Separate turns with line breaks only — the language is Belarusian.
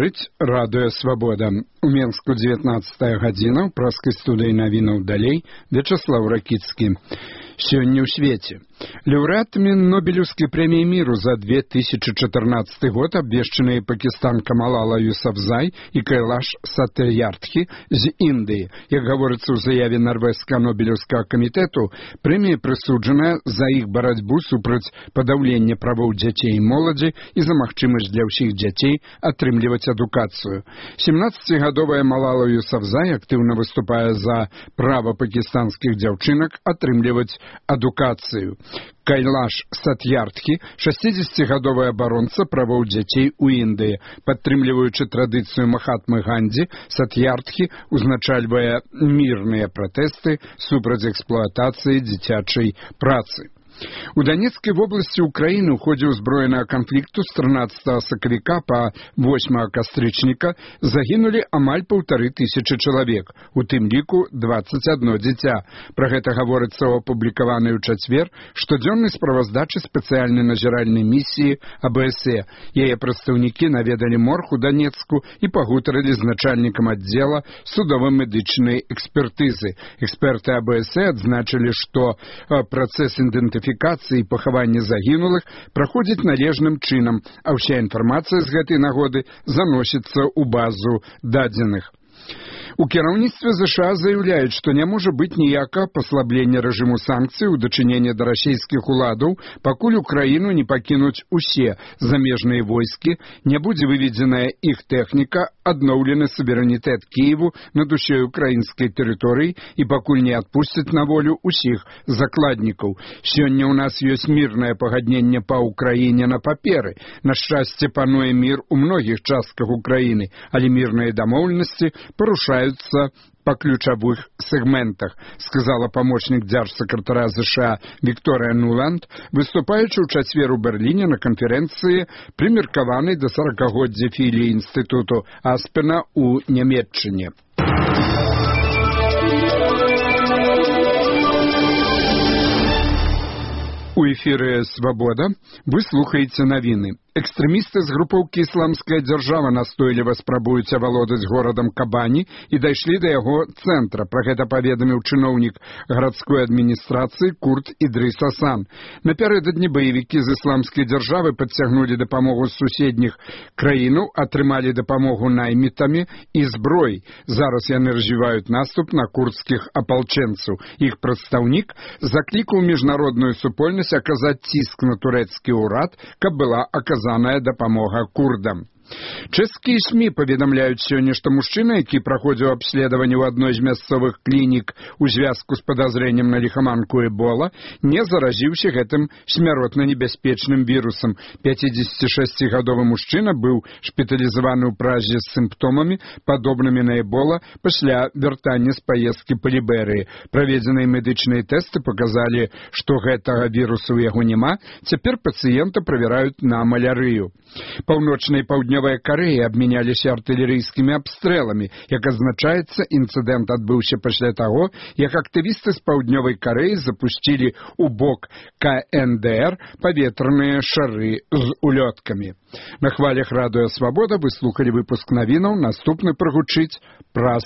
Гаворыць радыё «Свабода». У Менску 19 гадзіна, ў праскай студыі навінаў далей Вячаслаў Ракіцкі. Сёння ў свеце. Лаўрэатамі Нобелеўскай прэміі міру за 2014 год абвешчаныя пакістанка Малала Юсафзай і Кайлаш Сатьярдхі з Індыі. Як гаворыцца ў заяве Нарвежскага Нобелеўскага камітэту, прэмія прысуджаная за іх барацьбу супраць падаўлення правоў дзяцей і моладзі і за магчымасць для ўсіх дзяцей атрымліваць адукацыю. 17-гадовая Малала Юсафзай актыўна выступае за права пакістанскіх дзяўчынак атрымліваць адукацыю. Кайлаш Сатьярдхі, 60-гадовая абаронца правоў дзяцей у Індыі. Падтрымліваючы традыцыю Махатмы Гандзі, Сатьярдхі узначальвае мірныя пратэсты супраць эксплуатацыі дзіцячай працы. У Донецкай вобласці Украіны ў ходзе ўзброенага канфлікту з 13 сакавіка па 8 кастрычніка загінулі амаль 1500 чалавек, у тым ліку 21 дзіця. Пра гэта гаворыцца ў апублікаванай у чацвер штодзённай справаздачы спецыяльнай назіральнай місіі АБСЕ. Яе прадстаўнікі наведалі морг у Донецку і пагутарылі з начальнікам аддзела судова-медычнай экспертызы. Эксперты АБСЕ адзначылі, што працэс ідэнтыфікацыі і пахавання загінулых праходзіць належным чынам, а ўся інфармацыя з гэтай нагоды заносіцца ў базу дадзеных. У кіраўніцтве ЗША заяўляюць, што не можа быць ніякага паслаблення рэжыму санкцый у дачыненні да расійскіх уладаў, пакуль Украіну не пакінуць усе замежныя войскі, не будзе выведзеная іх тэхніка, адноўлены суверэнітэт Кіеву над усёй украінскай тэрыторыяй і пакуль не адпусцяць на волю ўсіх закладнікаў. Сёння ў нас ёсць мірнае пагадненне па Украіне на паперы. На шчасце, пануе мір у многіх частках Украіны, але мірныя дамоўленасці парушаюцца па ключавых сегментах, сказала памочнік дзяржсакратара ЗША Вікторыя Нуланд, выступаючы ў чацвер у Берліне на канферэнцыі, прымеркаванай да 40-годдзя філіі інстытуту Аспена ў Нямецчыне. У эфіры «Свабода» вы слухаеце навіны. Экстрэмісты з групоўкі «Ісламская дзяржава» настойліва спрабуюць авалодаць горадам Кабані і дайшлі да яго цэнтра. Пра гэта паведаміў чыноўнік гарадской адміністрацыі Курт Ідрыс Асан. Напярэдадні баевікі з «Ісламскай дзяржавы» падцягнулі дапамогу з суседніх краінаў, атрымалі дапамогу наймітамі і зброяй. Зараз яны развіваюць наступ на курдскіх апалчэнцаў. Іх прадстаўнік заклікаў міжнародную супольнасць аказаць ціск на турэцкі ўрад, каб была аказаная дапамога курдам. Чэшскія СМІ паведамляюць сёння, што мужчына, які праходзіў абследаванне ў адной з мясцовых клінік у звязку з падазрэннем на ліхаманку Эбола, не заразіўся гэтым смяротна небяспечным вірусам. 56-гадовы мужчына быў шпіталізаваны ў Празе з сімптомамі, падобнымі на Эбола, пасля вяртання з паездкі па Ліберыі. Праведзеныя медычныя тэсты паказалі, што гэтага вірусу ў яго няма. Цяпер пацыента правяраюць на малярыю. Паўночная і паўднёвая Карэя абмяняліся артылерыйскімі абстрэламі. Як азначаецца, інцыдэнт адбыўся пасля таго, як актывісты з паўднёвай Карэі запусцілі ў бок КНДР паветраныя шары з улёткамі. На хвалях радыё «Свабода» вы слухалі выпуск навінаў, наступны прагучыць праз